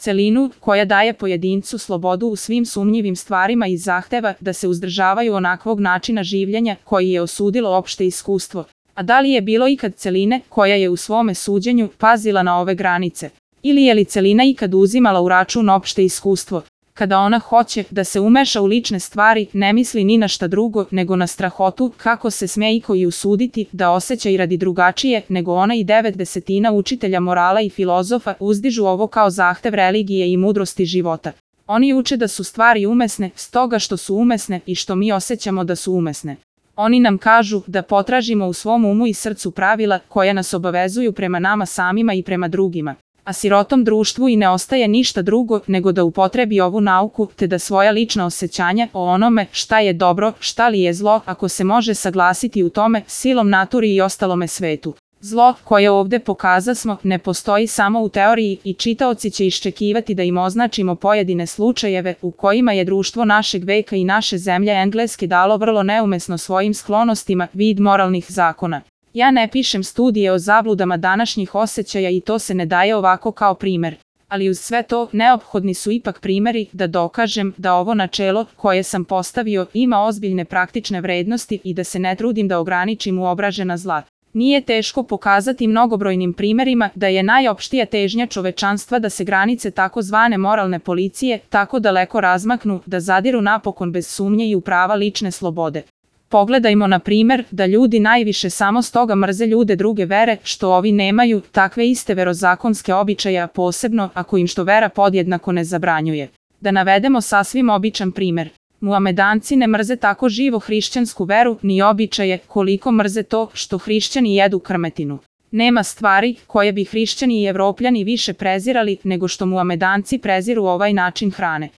celinu koja daje pojedincu slobodu u svim sumnjivim stvarima i zahteva da se uzdržavaju onakvog načina življenja koji je osudilo opšte iskustvo. A da li je bilo ikad celine koja je u svome suđenju pazila na ove granice? Ili je li celina ikad uzimala u račun opšte iskustvo? Kada ona hoće da se umeša u lične stvari, ne misli ni na šta drugo nego na strahotu kako se sme iko i usuditi da osjeća i radi drugačije nego ona i 9/10 učitelja morala i filozofa uzdižu ovo kao zahtev religije i mudrosti života. Oni uče da su stvari umesne, stoga što su umesne i što mi osjećamo da su umesne. Oni nam kažu da potražimo u svom umu i srcu pravila koja nas obavezuju prema nama samima i prema drugima. A sirotom društvu i ne ostaje ništa drugo nego da upotrebi ovu nauku te da svoja lična osjećanja o onome šta je dobro, šta li je zlo, ako se može saglasiti u tome, silom naturi i ostalome svetu. Zlo, koje ovde pokazasmo, ne postoji samo u teoriji i čitaoci će iščekivati da im označimo pojedine slučajeve u kojima je društvo našeg veka i naše zemlje Engleske dalo vrlo neumesno svojim sklonostima vid moralnih zakona. Ja ne pišem studije o zabludama današnjih osjećaja i to se ne daje ovako kao primer. Ali uz sve to, neophodni su ipak primeri da dokažem da ovo načelo koje sam postavio ima ozbiljne praktične vrednosti i da se ne trudim da ograničim uobražena zla. Nije teško pokazati mnogobrojnim primerima da je najopštija težnja čovečanstva da se granice takozvane moralne policije tako daleko razmaknu da zadiru napokon bez sumnje i u prava lične slobode. Pogledajmo na primer da ljudi najviše samo stoga mrze ljude druge vere što ovi nemaju takve iste verozakonske običaje, posebno ako im što vera podjednako ne zabranjuje. Da navedemo sasvim običan primer. Muhamedanci ne mrze tako živo hrišćansku veru ni običaje koliko mrze to što hrišćani jedu krmetinu. Nema stvari koje bi hrišćani i Evropljani više prezirali nego što Muhamedanci preziru ovaj način hrane.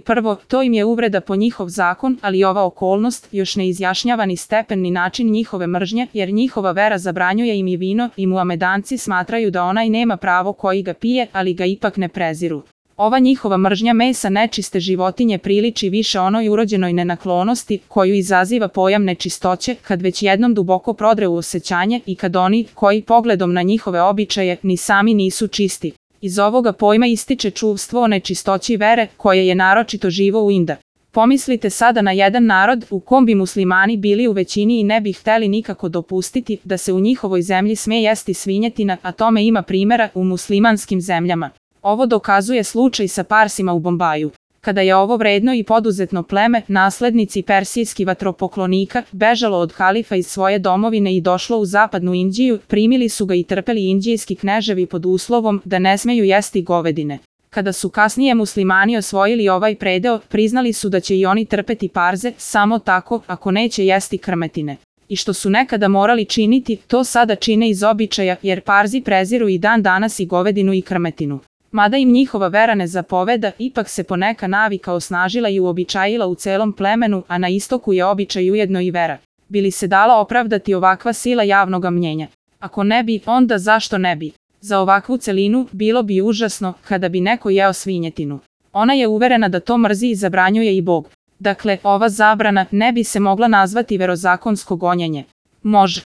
Prvo, to im je uvreda po njihov zakon, ali ova okolnost još ne izjašnjava ni stepen ni način njihove mržnje, jer njihova vera zabranjuje im i vino i Muhamedanci smatraju da onaj nema pravo koji ga pije, ali ga ipak ne preziru. Ova njihova mržnja mesa nečiste životinje priliči više onoj urođenoj nenaklonosti koju izaziva pojam nečistoće kad već jednom duboko prodre u osjećanje i kad oni koji pogledom na njihove običaje ni sami nisu čisti. Iz ovoga pojma ističe čuvstvo o nečistoći vere koje je naročito živo u Inda. Pomislite sada na jedan narod u kom bi muslimani bili u većini i ne bi hteli nikako dopustiti da se u njihovoj zemlji sme jesti svinjetina, a tome ima primjera u muslimanskim zemljama. Ovo dokazuje slučaj sa Parsima u Bombaju. Kada je ovo vredno i poduzetno pleme, naslednici persijskih vatropoklonika, bežalo od halifa iz svoje domovine i došlo u zapadnu Indiju, primili su ga i trpeli indijski kneževi pod uslovom da ne smeju jesti govedine. Kada su kasnije muslimani osvojili ovaj predeo, priznali su da će i oni trpeti parze, samo tako ako neće jesti krmetine. I što su nekada morali činiti, to sada čine iz običaja, jer Parzi preziru i dan danas i govedinu i krmetinu. Mada im njihova vera ne zapoveda, ipak se poneka navika osnažila i uobičajila u celom plemenu, a na istoku je običaj ujedno i vera. Bi li se dala opravdati ovakva sila javnoga mnjenja? Ako ne bi, onda zašto ne bi? Za ovakvu celinu bilo bi užasno kada bi neko jeo svinjetinu. Ona je uverena da to mrzi i zabranjuje i Bog. Dakle, ova zabrana ne bi se mogla nazvati verozakonsko gonjenje. Može.